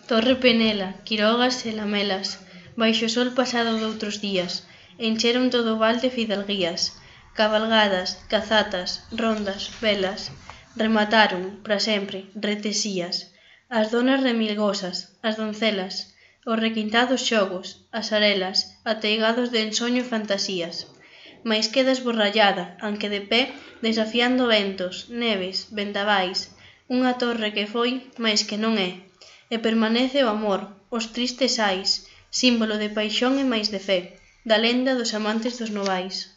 Torre Penela, Quirogas e Lamelas, baixo o sol pasado doutros días, encheron todo o val de fidalguías, cabalgadas, cazatas, rondas, velas, remataron, para sempre, retesías, as donas remilgosas, as doncelas, os requintados xogos, as arelas, ateigados de ensoño e fantasías. Mais queda esborrallada, anque de pé, desafiando ventos, neves, vendavais, unha torre que foi, mais que non é, e permanece o amor, os tristes ais, símbolo de paixón e máis de fe, da lenda dos amantes dos novais.